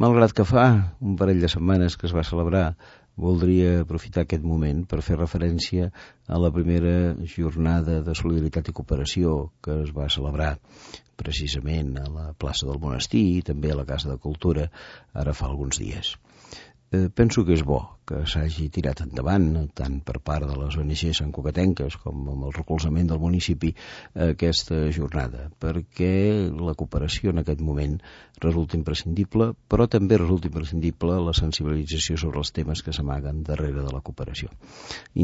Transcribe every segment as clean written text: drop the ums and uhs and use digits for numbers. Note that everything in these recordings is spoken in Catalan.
Malgrat que fa un parell de setmanes que es va celebrar, voldria aprofitar aquest moment per fer referència a la primera jornada de solidaritat i cooperació que es va celebrar precisament a la plaça del Monestir i també a la Casa de Cultura ara fa alguns dies. Penso que és bo que s'hagi tirat endavant, tant per part de les ONG santcugatenques com amb el recolzament del municipi, aquesta jornada, perquè la cooperació en aquest moment resulta imprescindible, però també resulta imprescindible la sensibilització sobre els temes que s'amaguen darrere de la cooperació.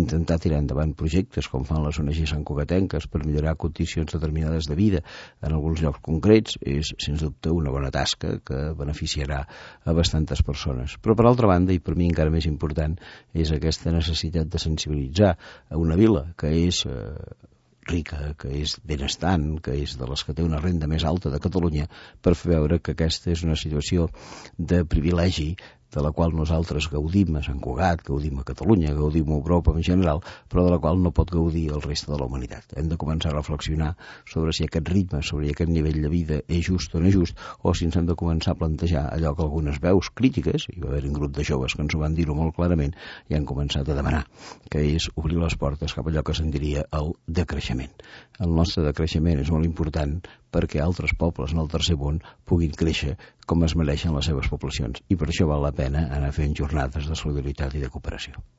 Intentar tirar endavant projectes com fan les ONG santcugatenques per millorar condicions determinades de vida en alguns llocs concrets és, sens dubte, una bona tasca que beneficiarà a bastantes persones. Però, per altra banda, i per mi encara més important, és aquesta necessitat de sensibilitzar a una vila que és rica, que és benestant, que és de les que té una renda més alta de Catalunya, per fer veure que aquesta és una situació de privilegi de la qual nosaltres gaudim a Sant Cugat, gaudim a Catalunya, gaudim a Europa en general, però de la qual no pot gaudir el reste de la humanitat. Hem de començar a reflexionar sobre si aquest ritme, sobre aquest nivell de vida és just o no és just, o si ens hem de començar a plantejar allò que algunes veus crítiques, hi va haver un grup de joves que ens ho van dir-ho molt clarament, i han començat a demanar, que és obrir les portes cap a allò que se'n diria el decreixement. El nostre decreixement és molt important perquè altres pobles en el tercer món puguin créixer com es mereixen les seves poblacions, i per això val la pena anar fent jornades de solidaritat i de cooperació.